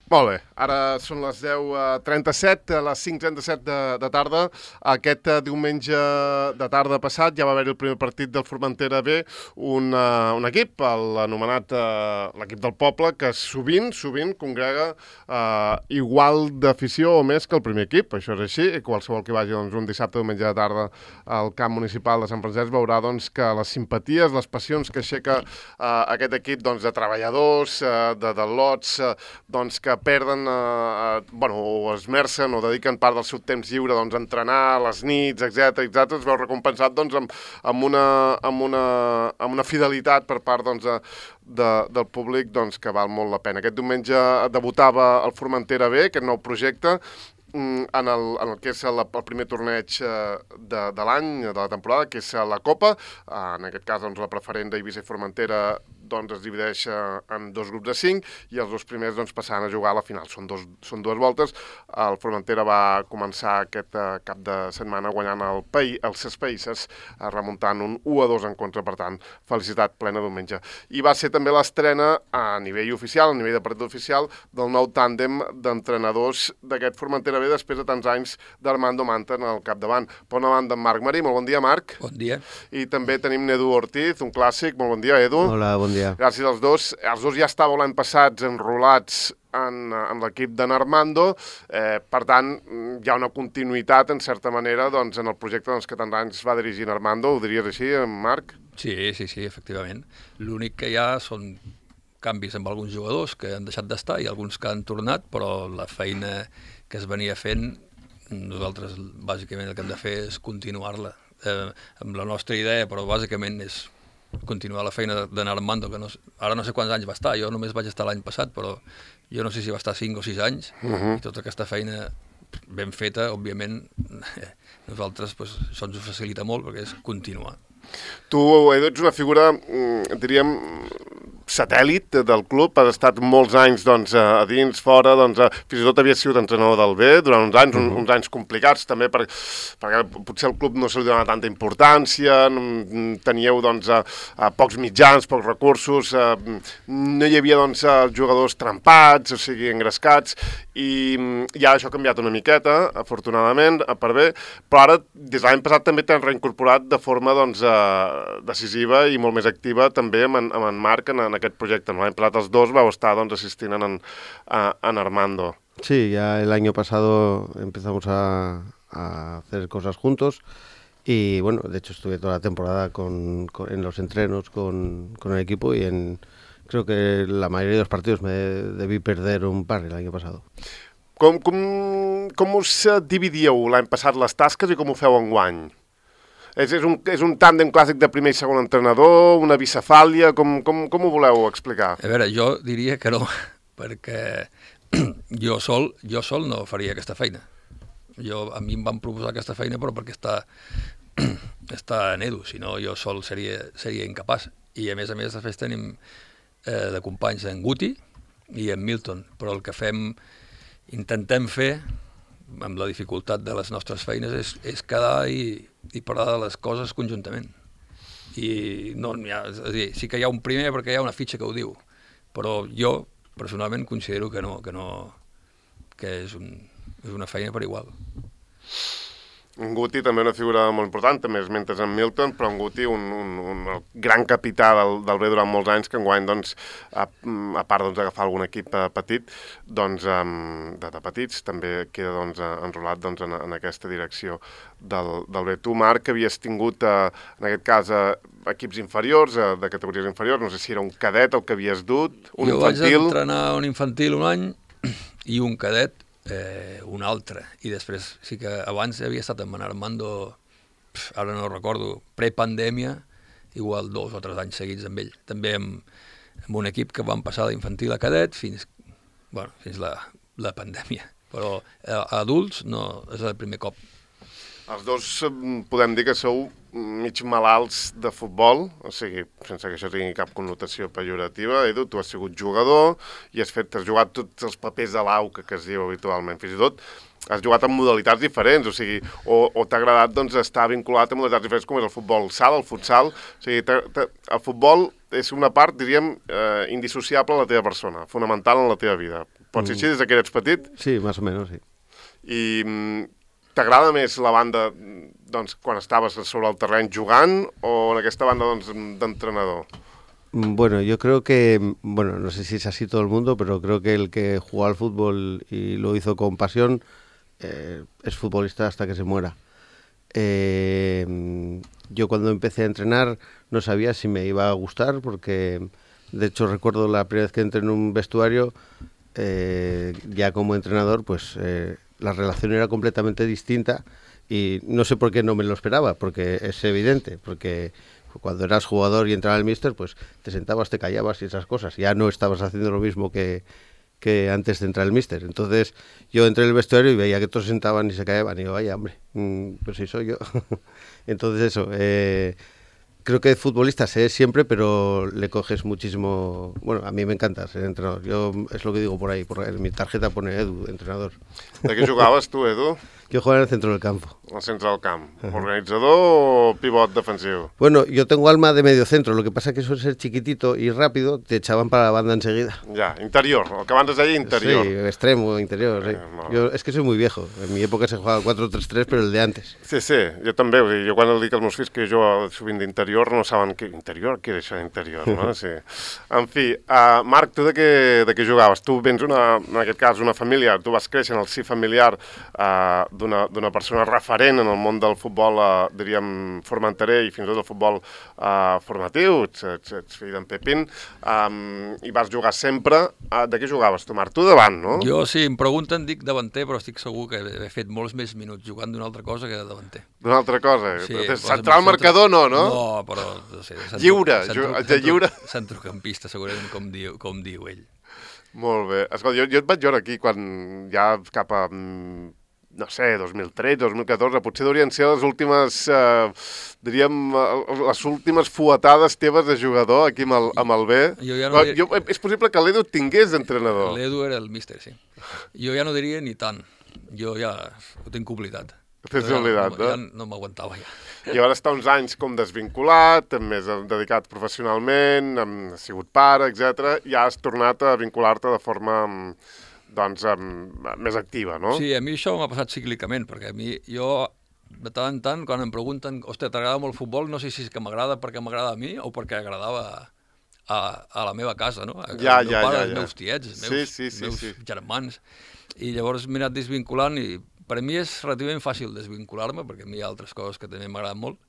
Molt bé, ara són les 10:37, a les 5:37 de tarda. Aquest diumenge de tarda passat ja va haver el primer partit del Formentera B, un equip, l'anomenat l'equip del poble, que sovint congrega igual d'afició o més que el primer equip. Això és així, i qualsevol que vagi un dissabte o diumenge de tarda al camp municipal de Sant Francesc veurà que les simpaties, les passions que aixeca aquest equip de treballadors, de lots, que perden, o esmercen o dediquen part del seu temps lliure a entrenar, a les nits, etc. Es veu recompensat amb una fidelitat per part del públic que val molt la pena. Aquest diumenge debutava el Formentera B, aquest nou projecte, en el que és el primer torneig de l'any, de la temporada, que és la Copa. En aquest cas, la preferent d'Eivissa i Formentera es divideix en dos grups de 5 i els dos primers passaran a jugar a la final. Són dues voltes. El Formentera va començar aquest cap de setmana guanyant els Ses Païsses, remuntant un 1-2 en contra. Per tant, felicitat plena diumenge. I va ser també l'estrena a nivell oficial, a nivell de partit oficial, del nou tàndem d'entrenadors d'aquest Formentera B després de tants anys d'Armando Manten al capdavant. Per una banda, en Marc Marí. Molt bon dia, Marc. Bon dia. I també tenim Edu Ortiz, un clàssic. Molt bon dia, Edu. Hola, bon dia. Gràcies als dos. Els dos ja estàveu l'any passat enrolats en l'equip d'en Armando, per tant, hi ha una continuïtat, en certa manera, en el projecte que tants anys va dirigir en Armando. Ho diries així, Marc? Sí, efectivament. L'únic que hi ha són canvis amb alguns jugadors que han deixat d'estar i alguns que han tornat, però la feina que es venia fent, nosaltres bàsicament el que hem de fer és continuar-la. Amb la nostra idea, però bàsicament és continuar la feina d'en Armando, que ara no sé quants anys va estar, jo només vaig estar l'any passat, però jo no sé si va estar 5 o 6 anys, i tota aquesta feina ben feta, òbviament, nosaltres això ens ho facilita molt, perquè és continuar. Tu, Edu, ets una figura, diríem, satèl·lit del club, has estat molts anys a dins, fora, fins i tot havies sigut entrenador del B durant uns anys, uns anys complicats també, perquè potser el club no se li donava tanta importància, teníeu pocs mitjans, pocs recursos, no hi havia jugadors trempats, o sigui, engrescats, i ara això ha canviat una miqueta, afortunadament, per bé, però ara, des de l'any passat, també t'han reincorporat de forma decisiva i molt més activa també amb en Marc en aquest projecte. L'any passat els dos vau estar assistint en Armando. Sí, ya el año pasado empezamos a hacer cosas juntos y bueno, de hecho estuve toda la temporada en los entrenos con el equipo y creo que la mayoría de los partidos me debí perder un par el año pasado. Com us dividíeu l'any passat les tasques i com ho feu enguany? És un tàndem clàssic de primer i segon entrenador, una bicefàlia, com ho voleu explicar? A veure, jo diria que no, perquè jo sol no faria aquesta feina. A mi em van proposar aquesta feina, però perquè està en Edu, si no jo sol seria incapaç. I a més, després tenim de companys en Guti i en Milton, però el que intentem fer, amb la dificultat de les nostres feines, és quedar i parlar de les coses conjuntament. I no n'hi ha, és a dir, sí que hi ha un primer perquè hi ha una fitxa que ho diu, però jo personalment considero que és una feina per igual. En Guti també una figura molt important, també es mentes en Milton, però en Guti un gran capità del B durant molts anys, que enguany, a part d'agafar algun equip petit, de petits, també queda enrolat en aquesta direcció del B. Tu, Marc, havies tingut, en aquest cas, equips inferiors, de categories inferiors, no sé si era un cadet el que havies dut, un infantil... Jo vaig entrenar un infantil un any i un cadet un altre, i després sí que abans havia estat amb en Armando, ara no recordo, prepandèmia, igual 2 o 3 anys seguits amb ell, també amb un equip que van passar d'infantil a cadet fins la pandèmia, però a adults no, és el primer cop. Els dos podem dir que sou mig malalts de futbol, o sigui, sense que això tingui cap connotació pejorativa. Edu, tu has sigut jugador i has jugat tots els papers de l'AU que es diu habitualment. Fins i tot has jugat en modalitats diferents, o sigui, o t'ha agradat estar vinculat a modalitats diferents com és el futbol sala, el futsal. O sigui, el futbol és una part, diríem, indissociable de la teva persona, fonamental en la teva vida. Pot ser així des que eres petit? Sí, más o menos, sí. I t'agrada més la banda doncs, quan estaves sobre el terreny jugant o en aquesta banda doncs, d'entrenador? Bueno, yo creo que, bueno, no sé si es así todo el mundo, pero creo que el que jugó al fútbol y lo hizo con pasión es futbolista hasta que se muera. Yo cuando empecé a entrenar no sabía si me iba a gustar porque, de hecho, recuerdo la primera vez que entré en un vestuario, ya como entrenador, pues la relación era completamente distinta y no sé por qué no me lo esperaba, porque es evidente, porque cuando eras jugador y entraba el míster, pues te sentabas, te callabas y esas cosas, ya no estabas haciendo lo mismo que antes de entrar el míster. Entonces yo entré en el vestuario y veía que todos se sentaban y se callaban y digo, vaya hombre, pues si soy yo. Entonces eso, creo que futbolista sé siempre, pero le coges muchísimo. Bueno, a mí me encanta ser entrenador. Yo es lo que digo por ahí, en mi tarjeta pone Edu, entrenador. De què jugaves tu, Edu? Yo jugaba en el centro del campo. Al centre del camp. Organitzador o pivot defensivo? Bueno, yo tengo alma de medio centro, lo que pasa es que suele ser chiquitito y rápido, te echaban para la banda enseguida. Ja, interior, el que abans es deia interior. Sí, extremo, interior, sí. Yo es que soy muy viejo, en mi época se jugaba 4-3-3, pero el de antes. Sí, sí, jo també, vull dir, jo quan dic als meus fills que jo sovint d'interior no saben què interior, què és això d'interior, no? Sí. En fi, Marc, tu de què jugaves? Tu vens en aquest cas una família, tu vas créixer en el si familiar d'una persona referent en el món del futbol, diríem, formenterer i fins i tot el futbol formatiu, ets fill d'en Pepín, i vas jugar sempre. De què jugaves tu, Marc? Tu davant, no? Jo, si em pregunten, dic davanter, però estic segur que he fet molts més minuts jugant d'una altra cosa que de davanter. D'una altra cosa? Sí, central marcador no, no? No, però... No sé, lliure, lliure. Centrocampista, segurament, com diu ell. Molt bé. Escolta, jo et vaig veure aquí quan ja cap a... no sé, 2013, 2014, potser deurien ser les últimes, diríem, les últimes fuetades teves de jugador aquí amb el B. És possible que l'Edu tingués d'entrenador. L'Edu era el míster, sí. Jo ja no diria ni tant. Jo ja ho tinc oblidat. T'has oblidat, no? Ja no m'aguantava, ja. I ara està uns anys com desvinculat, més dedicat professionalment, has sigut pare, etc. I has tornat a vincular-te de forma... doncs, més activa, no? Sí, a mi això m'ha passat cíclicament, perquè a mi, jo, de tant en tant, quan em pregunten, hòstia, t'agrada molt el futbol, no sé si és que m'agrada perquè m'agrada a mi o perquè agradava a la meva casa, no? Els meus tiets, els meus germans. I llavors m'he anat desvinculant i per a mi és relativament fàcil desvincular-me, perquè a mi hi ha altres coses que també m'agraden molt,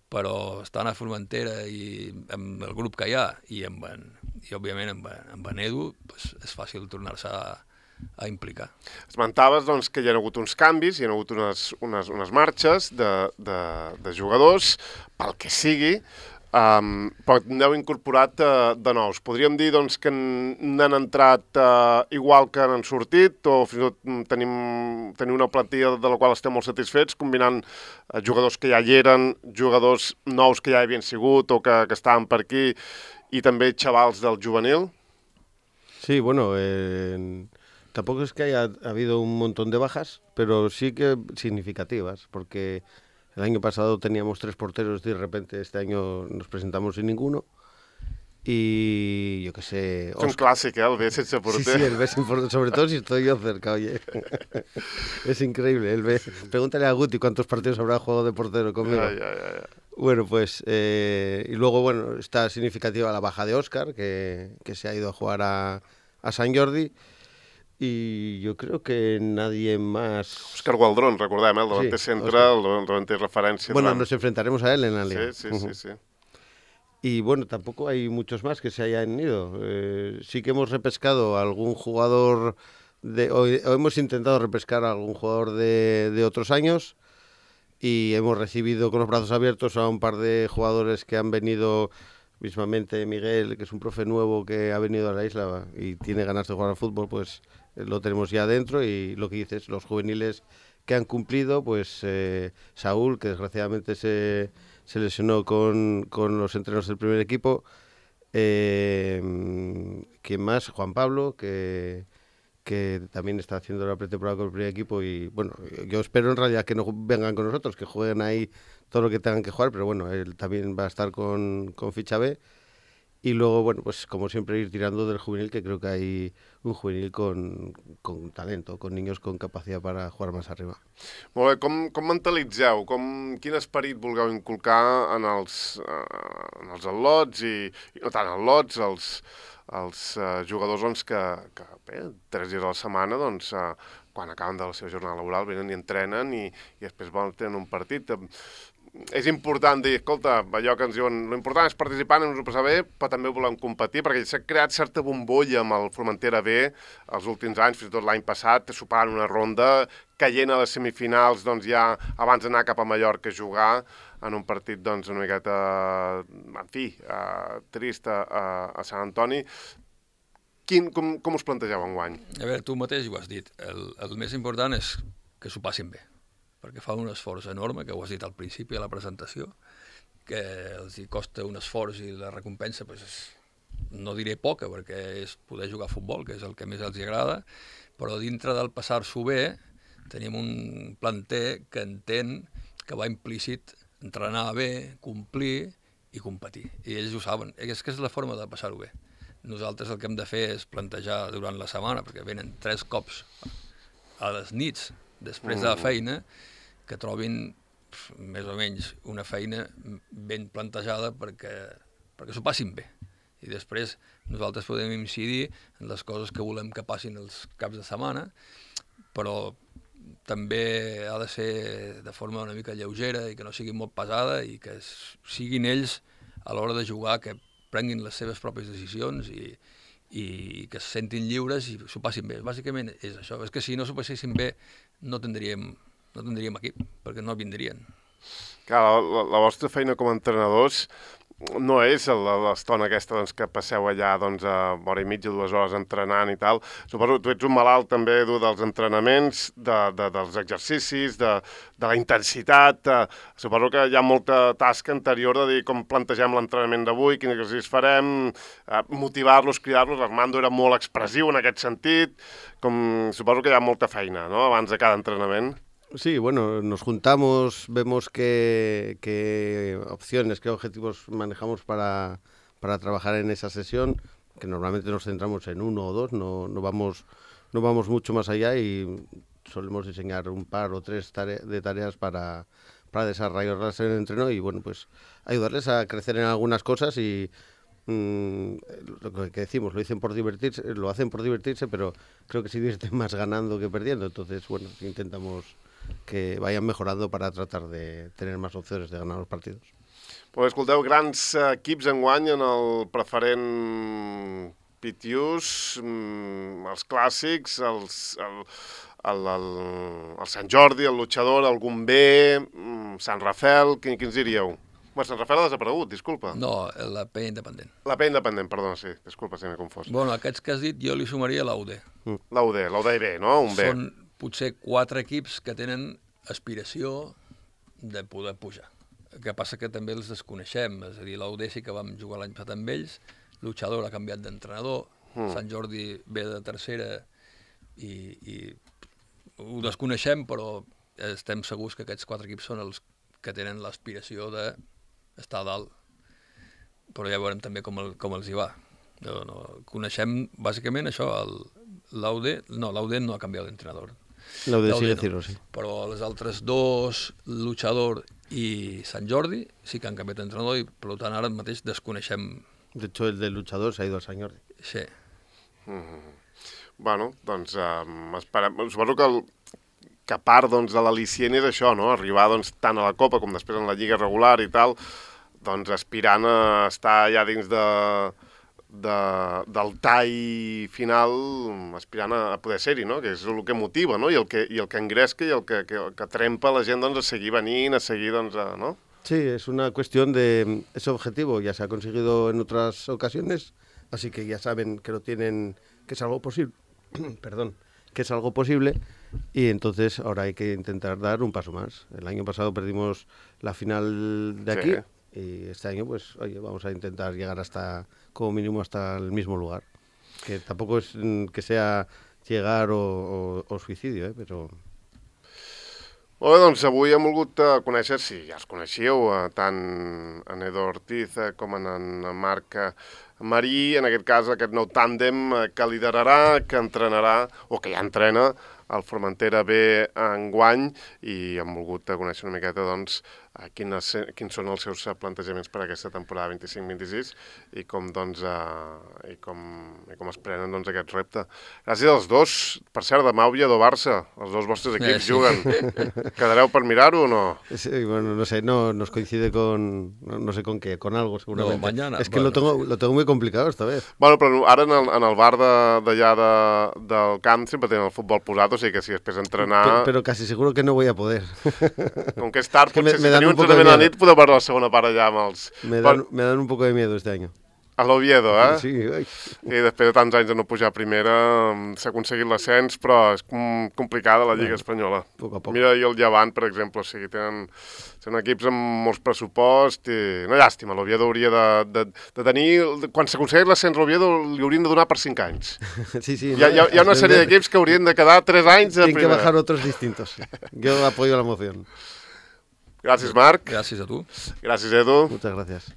però estant a Formentera i amb el grup que hi ha i òbviament amb en Edu, doncs és fàcil tornar-se a implicar. Esmentaves doncs, que hi ha hagut uns canvis, hi ha hagut unes marxes de jugadors, pel que sigui, però n'heu incorporat de nous. Podríem dir doncs, que n'han entrat igual que n'han sortit, o fins i tot tenim una plantilla de la qual estem molt satisfets, combinant jugadors que ja hi eren, jugadors nous que ja hi havien sigut o que estaven per aquí, y también chavals del juvenil. Sí, bueno, tampoco es que haya habido un montón de bajas, pero sí que significativas, porque el año pasado teníamos 3 porteros y de repente este año nos presentamos sin ninguno. Y yo qué sé... Es un clásico, el B sense porter. Sí, el B sin porter, sobre todo si estoy yo cerca, oye. Es increíble, el B. Pregúntale a Guti cuántos partidos habrá jugado de portero conmigo. Ya. Bueno, pues, y luego, bueno, está significativa la baja de Óscar, que se ha ido a jugar a Sant Jordi, y yo creo que nadie más... Óscar Gualdrón, recordem, el davanter central, el davanter referència. Bueno, nos enfrentaremos a él en la liga. Sí. Y bueno, tampoco hay muchos más que se hayan ido. Sí que hemos repescado a algún jugador, o hemos intentado repescar a algún jugador de otros años, y hemos recibido con los brazos abiertos a un par de jugadores que han venido, mismamente Miguel, que es un profe nuevo que ha venido a la isla y tiene ganas de jugar al fútbol, pues lo tenemos ya dentro. Y lo que dices, los juveniles que han cumplido, pues Saúl, que desgraciadamente se lesionó con los entrenos del primer equipo. ¿Quién más? Juan Pablo, que también está haciendo la pretemporada con el primer equipo. Y bueno, yo espero en realidad que no vengan con nosotros, que jueguen ahí todo lo que tengan que jugar, pero bueno, él también va a estar con ficha B. Y luego, bueno, pues como siempre ir tirando del juvenil, que creo que hay un juvenil con talento, con niños con capacidad para jugar más arriba. Molt bé, com mentalitzeu? Quin esperit vulgueu inculcar en els al·lots i no tant al·lots, els jugadors doncs, que bé, 3 dies a la setmana, doncs, quan acaben de la seva jornada laboral, venen i entrenen i després volen tenir un partit. És important dir, escolta, allò que ens diuen, l'important és participar, anem-nos ho passar bé, però també volem competir, perquè s'ha creat certa bombolla amb el Formentera B els últims anys, fins i tot l'any passat, superant una ronda, caient a les semifinals, doncs ja abans d'anar cap a Mallorca a jugar en un partit, doncs, una miqueta, en fi, trist a Sant Antoni. Com us plantegeu enguany? A veure, tu mateix ho has dit, el més important és que s'ho passin bé, perquè fa un esforç enorme, que ho has dit al principi de la presentació, que els hi costa un esforç i la recompensa, pues, no diré poca, perquè és poder jugar a futbol, que és el que més els agrada, però dintre del passar-s'ho bé tenim un planter que entén que va implícit entrenar bé, complir i competir. I ells ho saben, és que és la forma de passar-ho bé. Nosaltres el que hem de fer és plantejar durant la setmana, perquè venen 3 cops a les nits després de la feina, que trobin més o menys una feina ben plantejada perquè s'ho passin bé. I després nosaltres podem incidir en les coses que volem que passin els caps de setmana, però també ha de ser de forma una mica lleugera i que no sigui molt pesada i que siguin ells a l'hora de jugar que prenguin les seves pròpies decisions i que se sentin lliures i s'ho passin bé. Bàsicament és això. És que si no s'ho passessin bé no tindríem equip, perquè no vindrien. Clar, la vostra feina com a entrenadors no és l'estona aquesta doncs, que passeu allà doncs, a hora i mitja, 2 hores entrenant i tal. Suposo que tu ets un malalt també dels entrenaments, dels exercicis, de la intensitat. Suposo que hi ha molta tasca anterior de dir com plantegem l'entrenament d'avui, quin exercici farem, motivar-los, cridar-los. L'Armando era molt expressiu en aquest sentit. Suposo que hi ha molta feina, no?, abans de cada entrenament. Sí, bueno, nos juntamos, vemos qué opciones, qué objetivos manejamos para trabajar en esa sesión, que normalmente nos centramos en 1 o 2, no vamos mucho más allá y solemos diseñar un par o 3 de tareas para desarrollarlas en el entreno y, bueno, pues ayudarles a crecer en algunas cosas y lo que decimos, lo hacen por divertirse, pero creo que se divierten más ganando que perdiendo, entonces, bueno, intentamos que vayan mejorando para tratar de tener más opciones de ganar los partidos. Pues escolteu, grans equips enguany en el preferent Pitius, els clàssics, el Sant Jordi, el Luchador, el Gomber, Sant Rafel, quins diríeu? Bueno, Sant Rafel ha desaparegut, disculpa. No, la P independent. La P independent, perdona, sí, disculpa si m'he confós. Bueno, aquests que has dit jo li sumaria l'UD. L'UD B, no? Un B. Són potser 4 equips que tenen aspiració de poder pujar. El que passa que també els desconeixem, és a dir, l'UD sí que vam jugar l'any passat amb ells, Luchador ha canviat d'entrenador, Sant Jordi ve de tercera i ho desconeixem, però estem segurs que aquests 4 equips són els que tenen l'aspiració d'estar a dalt. Però ja veurem també com els hi va. No, coneixem bàsicament això, l'UD no ha canviat d'entrenador. L'UD sigue Ciro, sí. Però les altres 2, Luchador i Sant Jordi, sí que han canviat d'entrenador i per tant ara mateix desconeixem. De hecho, el de Luchador se ha ido al Sant Jordi. Sí. Bueno, doncs suposo que part doncs, de l'al·licient és això, no? Arribar doncs, tant a la Copa com després en la Lliga regular i tal, doncs aspirant a estar ja dins del tall final, aspirant a poder ser-hi, no? Que és el que motiva, no? I el que engresca i el que trempa la gent doncs, a seguir venint, a seguir, doncs, no? Sí, es una cuestión de ese objetivo, ya se ha conseguido en otras ocasiones, así que ya saben que lo tienen, que es algo posible, perdón, que es algo posible, y entonces ahora hay que intentar dar un paso más. El año pasado perdimos la final de aquí, sí. Y este año, pues, oye, vamos a intentar llegar hasta, como mínimo, hasta el mismo lugar. Que tampoco es que sea llegar o suicidio, però... Molt bé, doncs avui hem volgut conèixer, si ja els coneixíeu, tant en Edo Ortiz com en Marc Marí, en aquest cas aquest nou tàndem que liderarà, que entrenarà, o que ja entrena, el Formentera B enguany, i hem volgut conèixer una miqueta doncs, quins són els seus plantejaments per a aquesta temporada 25-26 i com, doncs, i com es prenen doncs, aquest repte. Gràcies als dos. Per cert, demà Oviedo-Barça, els dos vostres equips juguen. Quedareu per mirar-ho o no? Sí, bueno, no sé, no nos coincide con, no sé con qué, con algo seguramente. No, mañana. Es que lo tengo muy complicado esta vez. Bueno, però ara en el bar d'allà del camp sempre tenen el futbol posat, o sigui que si després entrenar... Pero casi seguro que no voy a poder. Com que és tard, que potser si teniu entrenament a la nit podeu veure la segona part allà amb els... Me dan un poco de miedo este año. A l'Oviedo, eh? Sí, ai. I després de tants anys de no pujar a primera, s'ha aconseguit l'ascens, però és complicada la Lliga Espanyola. Poc a poc. Mira, i el Llevant, per exemple, o sigui, són equips amb molts pressupost i... Una llàstima, l'Oviedo hauria de tenir... Quan s'aconsegueix l'ascens l'Oviedo li haurien de donar per 5 anys. Sí, sí. Hi ha una sèrie d'equips que haurien de quedar 3 anys a primera. Tienen que bajar otros distintos. Yo apoyo la moción. Gràcies, Marc. Gràcies a tu. Gràcies, Edu. Muchas gracias.